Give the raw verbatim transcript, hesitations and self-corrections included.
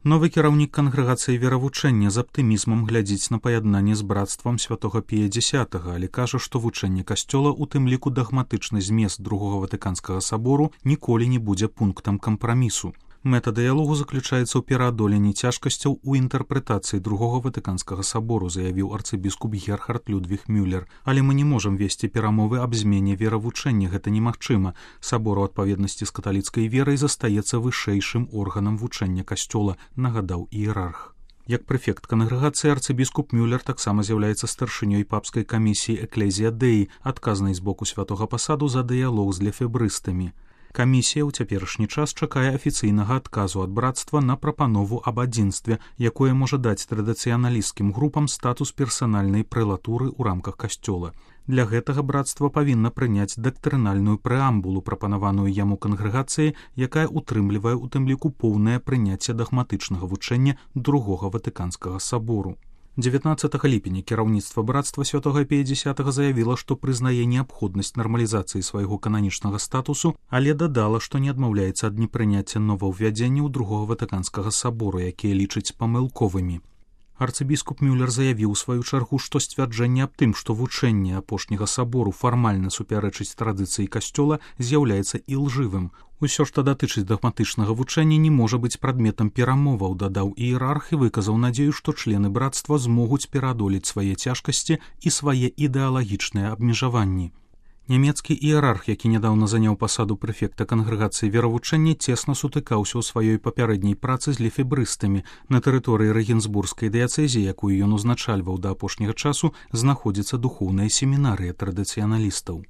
Новы кіраўнік кангрэгацыі веравучэння з аптымізмам глядзіць на паяднанне з брацтвам святога Пія дзясятага, але кажа, што вучэнне касцёла, у тым ліку дагматычны змест другога ватыканскага сабору, ніколі не будзе пунктам кампрамісу. Мэта дыялогу заключаецца ў пераадоленні цяжкасцяў у інтэрпрэтацыі другога ватыканскага сабору, заявіў арцыбіскуп Герхард Людвіг Мюллер. Але мы не можам весці перамовы аб змене веравучэння, гэта немагчыма. Сабор у адпаведнасці з каталіцкай верай застаецца вышэйшым органам вучэння касцёла, нагадаў іерарх. Як прэфект кангрэгацыі арцыбіскуп Мюллер таксама з'яўляецца старшынёй папскай камісіі Экклезія Дэі, адказнай з боку святога пасаду за дыялог з лефебрыстамі. Камісія ў цяперашні час чакае афіцыйнага адказу ад брацтва на прапанову аб адзінстве, якое можа даць традыцыяналісцкім групам статус персанальнай прэлатуры ў рамках касцёла. Для гэтага брацтва павінна прыняць дактрынальную прэамбулу, прапанаваную яму кангрэгацыі, якая утрымлівае ў тым ліку поўнае прыняцце дагматычнага вучэння другога ватыканскага сабору. дзевятнаццатага ліпеня кіраўніцтва брацтва святога Пія дзясятага заявіла, што прызнае неабходнасць нармалізацыі свайго кананічнага статусу, але дадала, што не адмаўляецца ад непрыняцця новаўвядзенняў другога ватыканскага сабору, якія лічыць памылковымі. Арцыбіскуп Мюллер заявіў у сваю чаргу, што сцвярджэнне аб тым, што вучэнне апошняга сабору фармальна супярэчыць традыцыі касцёла, з'яўляецца ілжывым. Усё, што датычыць дагматычнага вучэння, не можа быць прадметам перамоваў, дадаў іерарх і выказаў надзею, што члены брацтва змогуць пераадолець свае цяжкасці і свае ідэалагічныя абмежаванні. Нямецкі іерарх, які нядаўна заняў пасаду прэфекта кангрэгацыі веравучэння, цесна сутыкаўся ў сваёй папярэдняй працы з лефебрыстамі. На тэрыторыі рэгенсбургскай дыяцэзіі, якую ён узначальваў да апошняга часу, знаходзіцца духоўная семінарыя традыцыяналістаў.